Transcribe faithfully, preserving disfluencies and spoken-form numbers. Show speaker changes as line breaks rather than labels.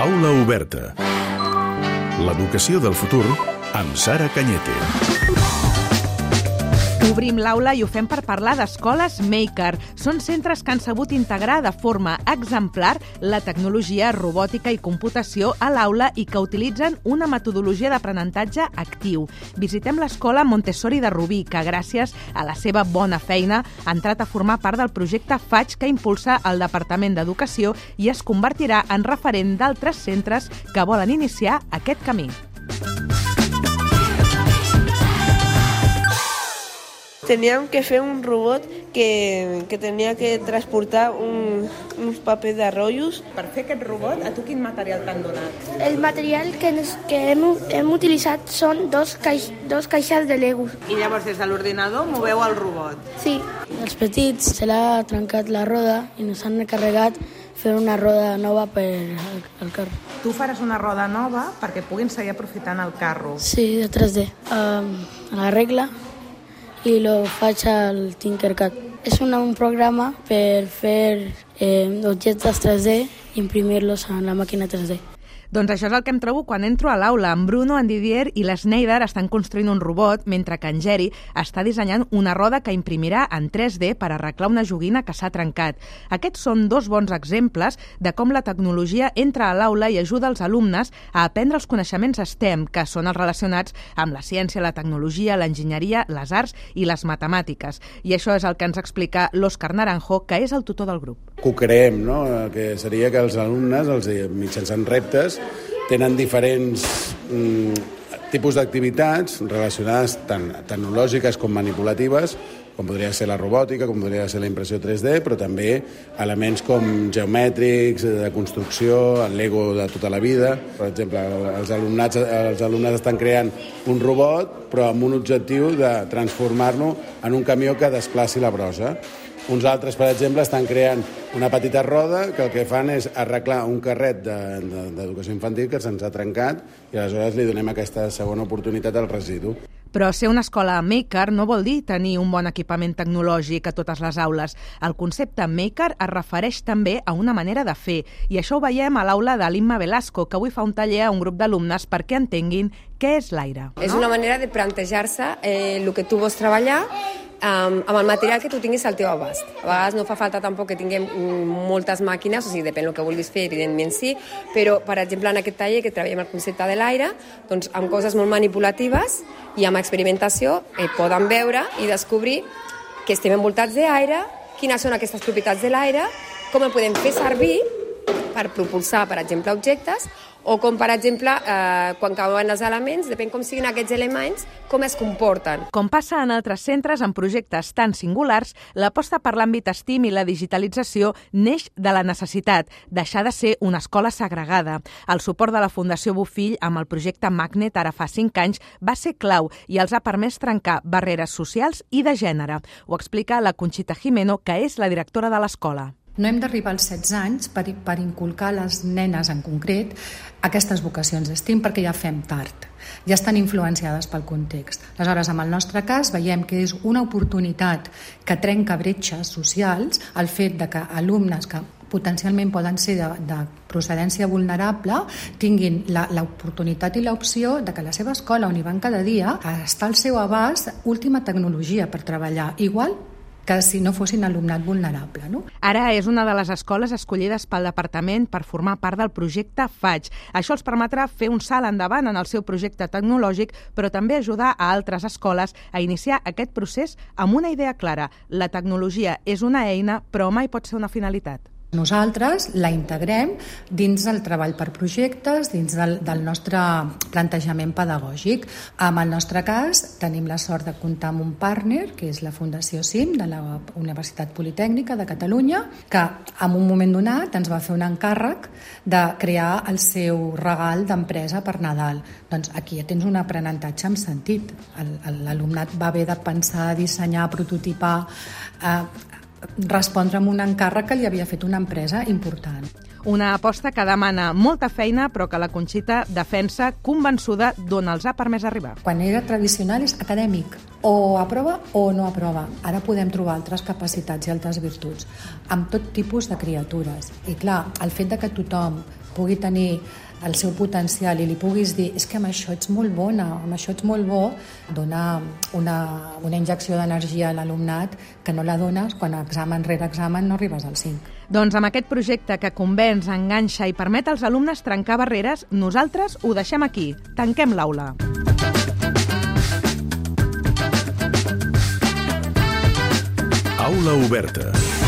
Aula oberta. L'educació del futur amb Sara Cañete.
Obrim l'aula i ho fem per parlar d'escoles Maker. Són centres que han sabut integrar de forma exemplar la tecnologia, robòtica i computació a l'aula i que utilitzen una metodologia d'aprenentatge actiu. Visitem l'escola Montessori de Rubí, que gràcies a la seva bona feina ha entrat a formar part del projecte Faig que impulsa el Departament d'Educació i es convertirà en referent d'altres centres que volen iniciar aquest camí.
Teníem que fer un robot que, que tenia que transportar un, uns papers de rotllos.
Per fer aquest robot, a tu quin material t'han donat?
El material que, que hem, hem utilitzat són dos, caix, dos caixes de Lego.
I llavors des de l'ordinador moveu el robot?
Sí.
Els petits se l'ha trencat la roda i ens han encarregat fer una roda nova per al, al carro.
Tu faràs una roda nova perquè puguin seguir aprofitant el carro.
Sí, de tres D. Um, la regla i lo faig al Tinkercad. És una, un programa per fer eh, objectes tres D i imprimir-los en la màquina tres D.
Doncs això és el que em trobo quan entro a l'aula. En Bruno, en Didier i l'Sneider estan construint un robot, mentre que en Geri està dissenyant una roda que imprimirà en tres D per arreglar una joguina que s'ha trencat. Aquests són dos bons exemples de com la tecnologia entra a l'aula i ajuda els alumnes a aprendre els coneixements STEM, que són els relacionats amb la ciència, la tecnologia, l'enginyeria, les arts i les matemàtiques. I això és el que ens explica l'Òscar Naranjo, que és el tutor del grup.
Que ho creem, no? Que seria que els alumnes, els mitjançant reptes, tenen diferents mm, tipus d'activitats relacionades tant tecnològiques com manipulatives, com podria ser la robòtica, com podria ser la impressió tres D, però també elements com geomètrics, de construcció, el Lego de tota la vida. Per exemple, els alumnats, els alumnes estan creant un robot, però amb un objectiu de transformar-lo en un camió que desplaci la brossa. Uns altres, per exemple, estan creant una petita roda que el que fan és arreglar un carret d'educació infantil que se'ns ha trencat i aleshores li donem aquesta segona oportunitat al residu.
Però ser una escola Maker no vol dir tenir un bon equipament tecnològic a totes les aules. El concepte Maker es refereix també a una manera de fer, i això ho veiem a l'aula de l'Imma Velasco, que avui fa un taller a un grup d'alumnes perquè entenguin què és l'aire.
És una manera de plantejar-se eh, el que tu vols treballar Um, amb el material que tu tinguis al teu abast. A vegades no fa falta tampoc que tinguem moltes màquines, o sigui, depèn del que vulguis fer, evidentment sí, però, per exemple, en aquest taller que treballem el concepte de l'aire, doncs amb coses molt manipulatives i amb experimentació eh, poden veure i descobrir que estem envoltats d'aire, quines són aquestes propietats de l'aire, com el podem fer servir per propulsar, per exemple, objectes, o com, per exemple, eh, quan cauen els elements, depèn com siguin aquests elements, com es comporten.
Com passa en altres centres amb projectes tan singulars, l'aposta per l'àmbit STEAM i la digitalització neix de la necessitat, deixar de ser una escola segregada. El suport de la Fundació Bofill amb el projecte Magnet ara fa cinc anys va ser clau i els ha permès trencar barreres socials i de gènere. Ho explica la Conxita Jimeno, que és la directora de l'escola.
No hem d'arribar als setze anys per, per inculcar a les nenes en concret aquestes vocacions STEAM perquè ja fem tard, ja estan influenciades pel context. Aleshores, en el nostre cas, veiem que és una oportunitat que trenca bretxes socials el fet de que alumnes que potencialment poden ser de, de procedència vulnerable tinguin la, l'oportunitat i l'opció de que la seva escola on hi van cada dia està al seu abast última tecnologia per treballar, igual que si no fossin alumnat vulnerable, no?
Ara és una de les escoles escollides pel departament per formar part del projecte Faig. Això els permetrà fer un salt endavant en el seu projecte tecnològic, però també ajudar a altres escoles a iniciar aquest procés amb una idea clara. La tecnologia és una eina, però mai pot ser una finalitat.
Nosaltres la integrem dins del treball per projectes, dins del, del nostre plantejament pedagògic. En el nostre cas, tenim la sort de comptar amb un partner, que és la Fundació CIM, de la Universitat Politècnica de Catalunya, que en un moment donat ens va fer un encàrrec de crear el seu regal d'empresa per Nadal. Doncs aquí ja tens un aprenentatge amb sentit. El, l'alumnat va haver de pensar, dissenyar, prototipar, eh, respondre amb un encàrrec que li havia fet una empresa important.
Una aposta que demana molta feina, però que la Conxita defensa convençuda d'on els ha permès arribar.
Quan era tradicional és acadèmic, o aprova o no aprova. Ara podem trobar altres capacitats i altres virtuts, amb tot tipus de criatures. I clar, el fet de que tothom pugui tenir el seu potencial i li puguis dir és que amb això ets molt bona, amb això ets molt bo, dona una, una injecció d'energia a l'alumnat que no la dones quan examen rere examen no arribes al cinc.
Doncs amb aquest projecte que convenç, enganxa i permet als alumnes trencar barreres, nosaltres ho deixem aquí. Tanquem l'aula.
Aula oberta.